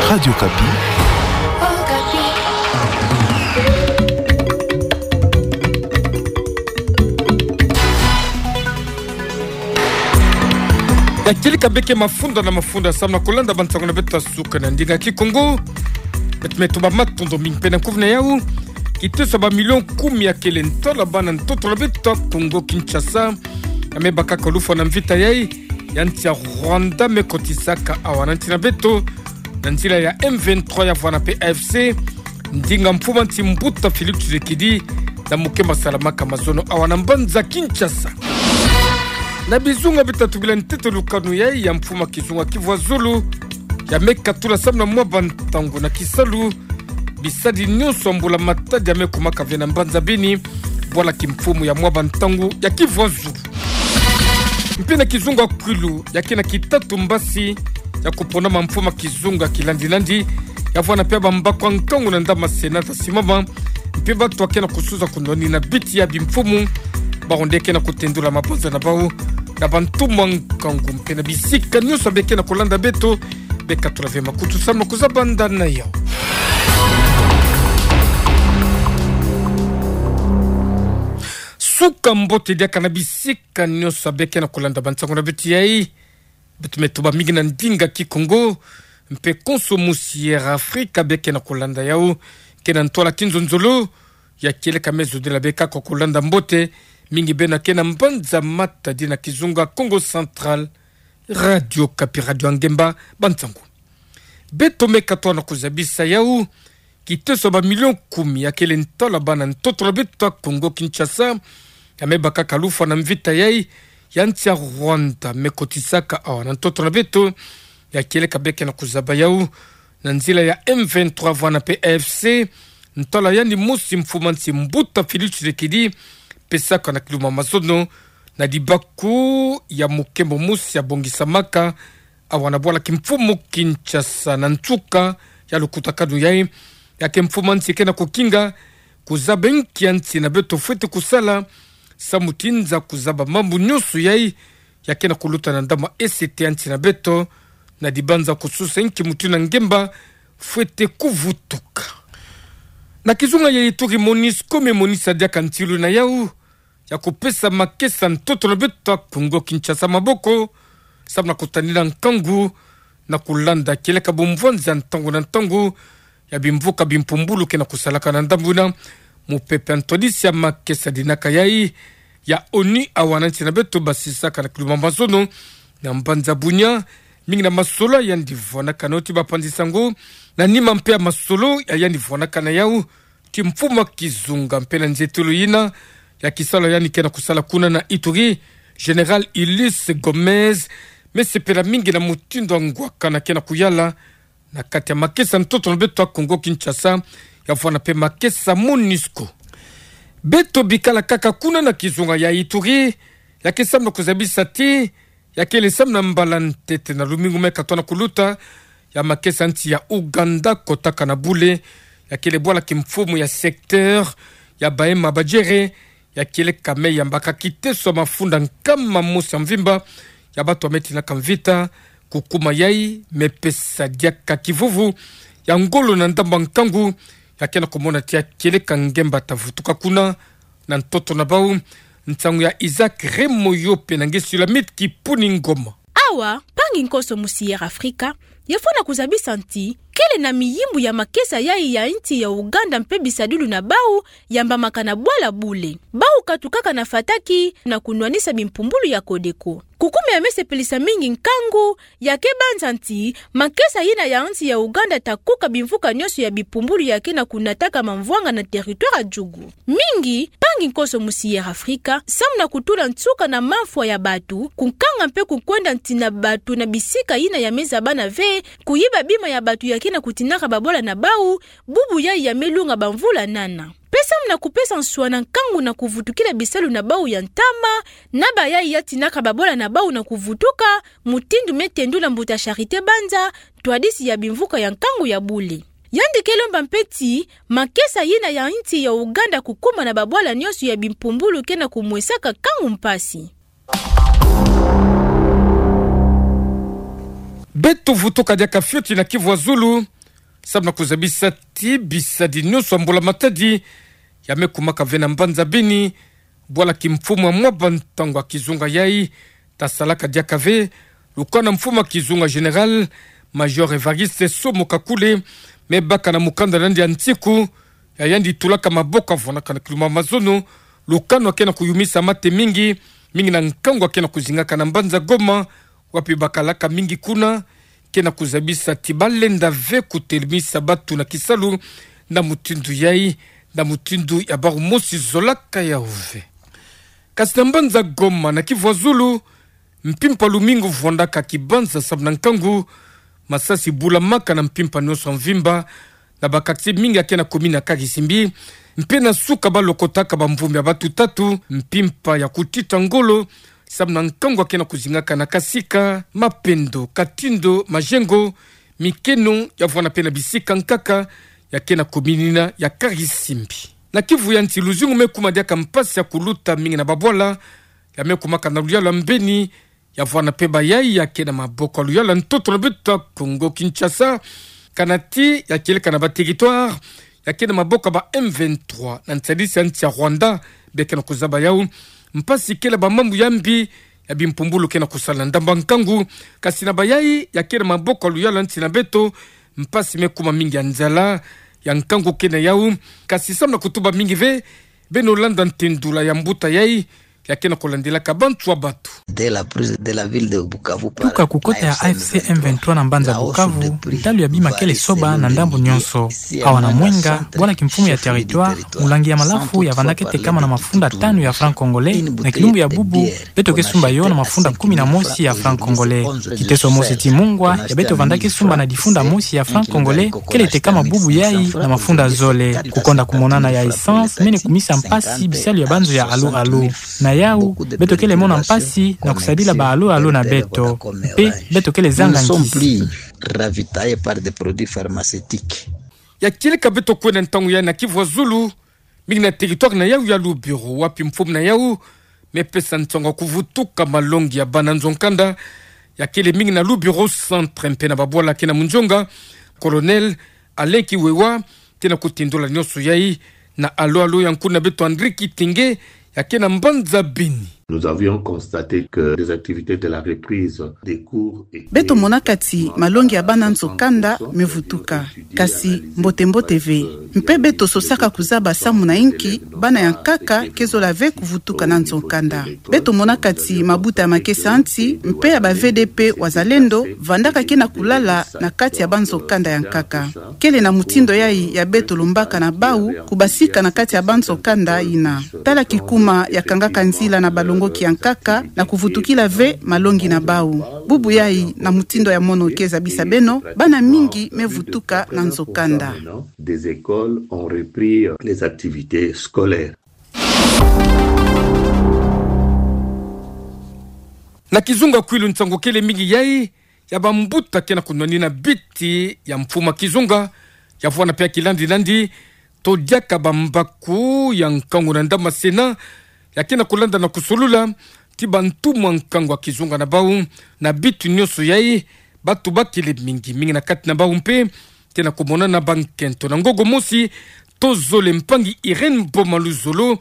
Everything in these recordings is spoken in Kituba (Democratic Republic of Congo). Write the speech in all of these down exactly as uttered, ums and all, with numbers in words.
Radio Okapi. Ya kieleka beke mafunda na mafunda samu na kolanda bansango na beto ya suka na ndinga Kikongo. Beto me tuba matondo mingi pene kuve na yau. Kiteso ya bamilion kumi ya kele ntwala bana ntoto na beto ya Kongo Kinshasa ya me baka kalufwa na mvita yai ya nsi ya Rwanda me kotisaka awa na nsi na beto na nzila ya M vingt-trois ya vwana pe A F C, ndinga mfumu a nsi Mbuta Félix Tshisekedi na mukemba salamaka mazono awa na mbanza Kinshasa. Na bizunga bitatu bila ntete lukanu yai ya mfumu a kizunga Kivu ya Zulu ya me katula samu na mwa bantangu na kisalu bisadi nyonso ya mbula matadi ya me kumaka ve na mbanza Beni, bwala kimfumu ya mwa bantangu ya Kivu ya Zulu. Mpe na kizunga Kwilu ya ke na kitatu mbasi ya kuponama mfumu a kizunga kilandilandi ya vwana pe bambaku ya nkangu na ndamana senata simama, mpe bato ya ke na kusuza kunwanina biti ya bimfumu, bawu nde ke na kutendula mabanza na bawu na bantumwa nkangu. Mpe na bisika nyonso be ke na kolanda beto, be katula ve makutu samu na kuzaba ndani na yau. Suka mbote diaka na bisika nyonso be ke na kolanda bansango na beto yai. Beto me tuba mingi na ndinga Kikongo, mpe konso musi Air Afrika be ke na kolanda yau, ke na ntwala kinzonzolo ya kieleka me zodila be kaka kolanda mbote, mingi beno ya ke na mbanza matadi na kizunga Kongo Central, Radio Okapi, radio ya ngemba, bansango. Beto me katoa na kuzabisa yau, kiteso ya bamilion kumi ya kele ntwala bana ntoto na beto ya Kongo Kinshasa ya me baka kalufwa na mvita yai ya nsi ya Rwanda me kotisaka awa na ntoto na beto, ya kieleka be ke na kuzaba yau na nzila ya M vingt-trois vwana pe A F C, ntwala yandi mosi mfumu a nsi Mbuta Félix Tshisekedi pesaka na kiluma mazono na dibaku ya mukembo mosi ya bongisamaka awa na bwala kimfumu Kinshasa. Na nsuka ya lukutakanu yai, ya ke mfumu a nsi ke na kukinga kuzaba nki ya nsi na beto fwete kusala samu tinza kuzaba mambu nyonso yai ya ke na kuluta na ndamana esete ya nsi na beto, na dibanza kususa nki mutu na ngemba fwete kuvutuka. Na kizunga ya Ituri, MONUSCO me monisa diaka ntilu na yau ya kupesa makesa ntoto na beto ya Kongo Kinshasa maboko, samu na kutanina nkangu na kulanda kieleka bumvwanza ntangu na ntangu ya bimvuka bimpumbulu ke na kusalaka na ndambu na mupepe ya ntwadisi ya makesa dinaka yai ya ONU awa na nsi na beto basisaka na kiluma mazono na mbanza Bunia, mingi na masolo yandi vwanakana ti bapanzi sango, na nima mpe ya masolo ya yandi vwanakana yau ti mfumu a kizunga mpe na nzietolo yina ya kisalu yandi ke na kusala kuna na Ituri, Général Ulysse Gomez, me sepela mingi na mutindu ya ngwakana ke na kuyala na kati ya makesa ntoto na beto ya Kongo Kinshasa, ya vwana mpe makesa MONUSCO. Beto bikala kaka kuna na kizunga ya Ituri, ya ke samu na kuzabisa ti ya kele samu na mbala ntete na lumingu me katoa na kuluta, ya makesa nsi ya Ouganda kotaka na bule, ya kele bwala kimfumu ya secteur ya Bahema Badjere, ya kieleka me yambaka kiteso ya mafunda nkama mosi ya mvimba ya bato ya me tinaka mvita. Kukuma yai me pesa diaka kivuvu ya ngolo na ndambu ya nkangu, ya ke na kumona ti ya kieleka ngemba ta vutuka kuna na ntoto na bau. Nsangu ya Isaac Remoyope na nge Sulamite Kipuni Ngoma. Awa, mpangi nkoso musi Air Afrika, yafwana kuzabisa ti kele na miyimbu ya makesa yai ya nsi ya Ouganda mpe bisadulu na bau yambamaka na bwala bule. Bau katukaka na fataki na kunwanisa bimpumbulu ya Codeco. Kukumia me sepelisa mingi nkangu, ya ke banza ti makesa yina ya nsi ya Ouganda ta kuka bimvuka nyonso ya bimpumbulu ya ke na kunataka mamvwanga na territoire ya Djugu. Mingi, mpangi nkoso musi Air Afrika, samu na kutula nsuka na mamfwa ya bato, kunkanga mpe kukwenda nsi na bato na bisika yina ya me zabana ve, kuyiba bima ya bato ya ke na kutinaka babwala na bau, bubu yai ya me lunga bamvula nana. Mpe samu na kupesa nswa na nkangu na kuvutukila bisalu na bau ya ntama, na bayai ya tinaka babwala na bau na kuvutuka, mutindu me tendula mbuta Charité Banza, ntwadisi ya bimvuka ya nkangu ya bule. Yandi ke lomba mpe ti makesa yina ya nsi ya Ouganda kukuma na babwala nyonso ya bimpumbulu ke na kumwesaka nkangu mpasi. Beto vutuka diaka fioti na Kivu ya Zulu, Samu na kuzabisa ti bisadi nionso ya mbula matadi ya me kumaka ve na mbanza Beni, bwala kimfumu ya mwaba ntangu ya kizunga yai, tasalaka diaka ve lukanu na mfumu ya kizunga Général Major Évariste Somo Kakule, me baka na mukanda na yandi ya nsiku, ya yandi tulaka maboko avwandaka na kilumbu ya mazono, lukanu ya ke na kuyumisa mate mingi, mingi na nkangu ya ke na kuzingaka na mbanza Goma, wapi bakalaka mingi kuna ke na kuzabisa ti balenda ve kutelemisa batu na kisalu na mutindu yai, na mutindu ya bawu mosi zolaka yawu ve. Kasi na mbanza Goma na Kivu ya Zulu, mpimpa lumingu vwandaka kibanza samu na nkangu, masasi bulamaka na mpimpa nionso ya mvimba, na ba quartier mingi ya ke na commune ya Karisimbi, mpe na suka balokotaka bamvumbi ya batu tatu, mpimpa ya kutita ngolo, samu na nkangu ya ke na kuzingaka na Kasika, Mapendo, Katindo, Majengo, Mikeno, ya vwanda mpe na bisika nkaka ya ke na commune yina ya Karisimbi. Na Kivu ya Nsi, luzingu me kuma diaka mpasi ya kuluta mingi na babwala, ya me kumaka na luyalu ya Mbeni, ya vwanda mpe bayai ya ke na maboko ya luyalu ya ntoto na beto ya Congo Kinshasa, kana ti ya kieleka na ba territoire ya ke na maboko ya ba M vingt-trois, na nsadisi ya nsi ya Rwanda, be ke na kuzaba yawu. Mpasi kele bamambu ya mbi, ya bimpumbulu ke na kusala na ndambu ya nkangu, kasi na bayai ya ke na maboko ya luyalu ya nsi na beto, mpasi me kuma mingi ya nzala, ya nkangu ke na yawu, kasi samu na kutuba mingi ve, beno landa ntendula ya mbuta yai, ya ke na kulandelaka bantu ya batu. De la prise de la ville de Bukavu par Tuka kukota ya A F C M vingt-trois na mbanza Bukavu, ntalu ya bima kele soba na ndambu nionso. Awa na Mwenga, bwala kimfumu ya territoire, mulangi ya malafu ya vandaka tekama na mafunda tanu ya franc congolais, na kilumbu ya bubu, beto ke sumba yo na mafunda kumi na mosi ya franc congolais. Kiteso mosi ti mungwa ya beto vandaka sumba na difunda mosi ya franc congolais, kele tekama bubu yai na mafunda zole. Kukonda kumonana ya essence mene kumisa mpasi bisalu ya banzo ya alo alo. Na yawu, beto kele mona mpasi na kusadila ba alo alo na beto. Mpe beto kele zanga nkisi. Ravitaillés par des produits pharmaceutiques. Ya kieleka beto kwenda ntangu yai na Kivu ya Zulu, mingi na territoire na yawu ya Lubero, wapi mfumu na yawu me pesa nsangu ya kuvutuka malongi ya bana nzo-nkanda, ya kele mingi na Lubero centre mpe na babwala ke na munzonga. Colonel Alain Kiwewa ke na kutendula nionso yai na alo alo ya nkuna beto André Kitenge, ya ke na mbanza Beni. Nous avions constaté que les activités de la reprise des cours étaient Beto monaka ti malongi ya bana nzo-nkanda me vutuka, kasi mbote mbote ve. Mpe beto sosaka kuzaba samu na inki bana ya nkaka ke zola ve kuvutuka na nzo-nkanda. Beto monaka ti mabuta ya makesa ya nsi mpe ya ba V D P Wazalendo vandaka ke na kulala na kati ya banzo-nkanda ya nkaka. Kele na mutindo yai ya beto lombaka na bawu kubasika na kati ya banzo-nkanda yina. Tala kikuma ya kangaka nzila na balongoki ya nkaka na kuvutukila ve malongi na bawu. Bubu yai, na mutindo ya mono ke zabisa beno, bana mingi me vutuka na nzo-nkanda. Des écoles ont repris les activités scolaires. Na kizunga Kwilu, nsangu kele mingi yai ya bambuta ke na kunwanina biti ya mfumu ya kizunga, ya vwanda mpe ya kilandi landi, to diaka bambaku ya nkangu na ndambu ya Sénat, ya ke na kulanda na kusolula ti bantu mwa nkangu ya kizunga na bawu. Na biti nionso yai, batu bakele mingi mingi na kati na bawu mpe ke na kumonana bankento. Na ngogo mosi to zole, mpangi Irène Boma Luzolo,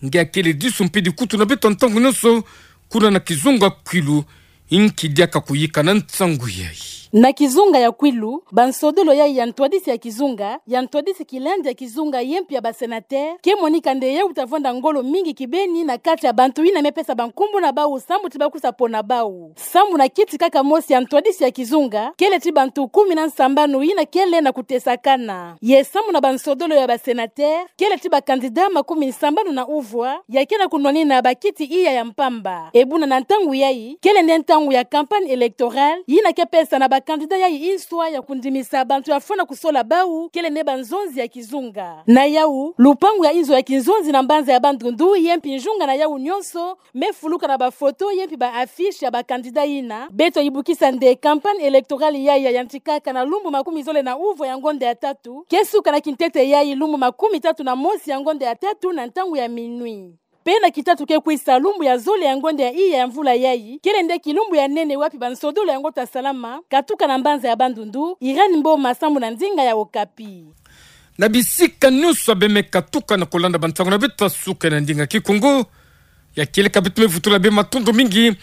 nge akele disu mpe dikutu na beto ntangu nionso kuna na kizunga Kwilu, inki diaka kuyika na nsangu yai. Na kizunga ya Kwilu, bansodolo yai ya ntwadisi ya kizunga, ya ntwadisi kilandi ya kizunga, ye mpe ya ba sénateur, ke monika nde yai uta vwanda ngolo mingi kibeni na kati ya bantu yina me pesa bankumbu na bawu samu ti bakwiza pona bawu. Samu na kiti kaka mosi ya ntwadisi ya kizunga, kele ti bantu kumi na nsambanu yina kele na kutesakana. Ye samu na bansodolo ya ba sénateur, kele ti ba candidat makumi nsambanu na uvwa, ya ke na kunwanina bakiti iya ya mpamba. E buna na ntangu yai, kele nde ntangu ya campagne électorale, yina ke pesa na ba candidat yai nswa ya kundimisa bantu ya fwana kusola bawu, kele nde banzonzi ya kizunga. Na yawu, lupangu ya inzo ya kinzonzi na mbanza ya Bandundu, ye mpe nzunga na yawu nionso, me fuluka na bafoto ye mpe ba affiche ya ba candidat yina. Beto yibukisa nde campagne électorale yai ya yantikaka na lumbu makumi zole na uvwa ya ngonda ya tatu, ke suka na kintete yai lumbu makumi tatu na mosi ya ngonda ya tatu na ntangu ya minuit. Pe na kitatu ke kwisa lumbu ya zole ya ngonda ya iya ya mvula yayi, kele nde kilumbu ya nene wapi bansodolo yango ta salama, katuka na mbanza ya Bandundu, Irène Mboma sambu na ndinga ya Okapi. Na bisika nyonso bemeka tuka na kolanda bansangu na beto ya suka na ndinga Kikongo, ya kieleka beto me vutula bê matondo mingi,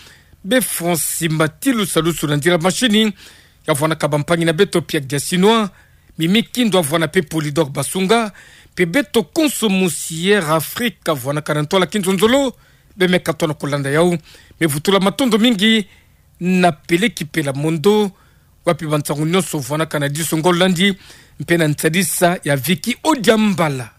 bê Francis Mbatilu Salusu na ndira mashini, ya vwanaka bampangi na beto Pierre Diasinois, Mimi Kindo ya vwana pe Polydor Basunga, pe beto konso mosi Air Afrique ya vwanaka na ntwala kinzonzolo, bemeka tona kolanda yau. Me vutula matondo mingi na Peleki Pela Mondo, wapi bansangu nyonso vwanaka na diso ngolo landi, mpe na nsadisa ya Vicky Odiambala.